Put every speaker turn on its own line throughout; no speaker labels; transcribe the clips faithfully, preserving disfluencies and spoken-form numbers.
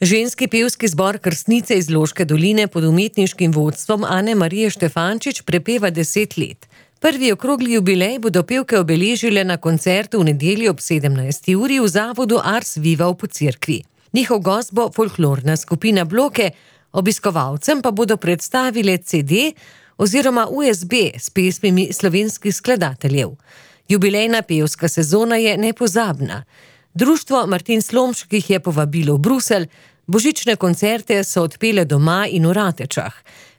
Ženski pevski zbor Krstnice iz Loške doline pod umetniškim vodstvom Ane Marije Štefančič prepeva deset let. Prvi okrogli jubilej bodo pevke obeležile na koncertu v nedeljo ob sedemnajsti uri v zavodu Ars Viva v Pocerkvi. Njihov gost bo folklorna skupina Bloke, obiskovalcem pa bodo predstavile ce de oziroma u es be s pesmimi slovenskih skladateljev. Jubilejna pevska sezona je nepozabna. Društvo Martin Slomšek jih je povabilo v Bruselj, božične koncerte so odpele doma in v Ratečah.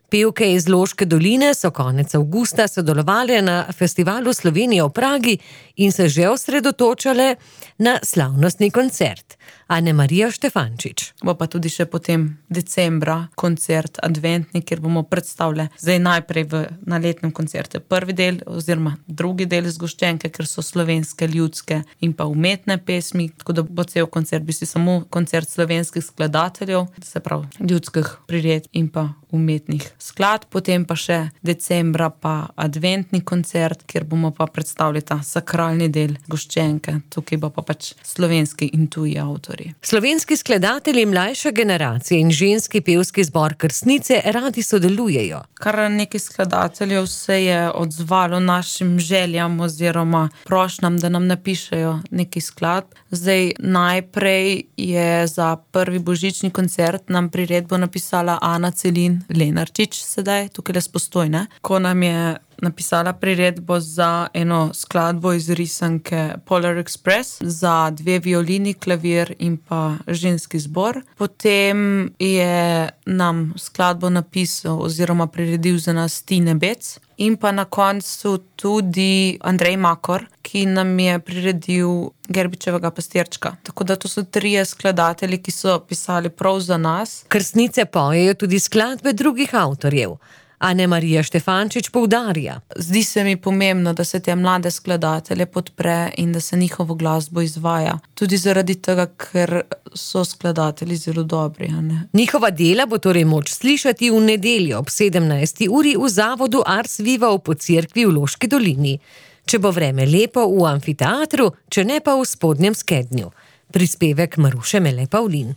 Pevke iz Loške doline so konec avgusta sodelovale na festivalu Slovenije v Pragi in se že osredotočale na slavnostni koncert. Ane Marija Štefančič.
Bo pa tudi še potem decembra koncert adventni, kjer bomo predstavljali zdaj najprej v, na letnem koncertu prvi del oziroma drugi del zgoščenke, ker so slovenske, ljudske in pa umetne pesmi, tako da bo cel koncert bi si samo koncert slovenskih skladateljev, se pravi ljudskih prired in pa umetnih skladb, potem pa še decembra pa adventni koncert, kjer bomo pa predstavili ta sakralni del zgoščenke, tukaj bo pa pač slovenski in tuji avtori.
Slovenski skladatelji mlajše generacije in ženski pevski zbor Krstnice radi sodelujejo.
Kar nekaj skladateljev se je odzvalo našim željam oziroma prošnjam, da nam napišejo nekaj skladb. Zdaj najprej je za prvi božični koncert nam priredbo napisala Ana Celin Lenarčič sedaj, tukaj le Postojne, ko nam je napisala priredbo za eno skladbo iz risanke Polar Express, za dve violini, klavir in pa ženski zbor. Potem je nam skladbo napisal oziroma priredil za nas Tine Bec in pa na koncu tudi Andrej Makor, ki nam je priredil Gerbičevega pastirčka. Tako da to so trije skladatelji, ki so pisali prav za nas.
Krstnice pojejo tudi skladbe drugih avtorjev. Ane Marija Štefančič poudarja.
Zdi se mi pomembno, da se te mlade skladatelje podpre in da se njihovo glasbo izvaja. Tudi zaradi tega, ker so skladatelji zelo dobri. A ne?
Njihova dela bo torej moč slišati v nedeljo ob sedemnajsti uri v zavodu Ars Viva v Pocerkvi v Loški dolini. Če bo vreme lepo v amfiteatru, če ne pa v Spodnjem Skednju. Prispevek Maruše Mele Pavlin.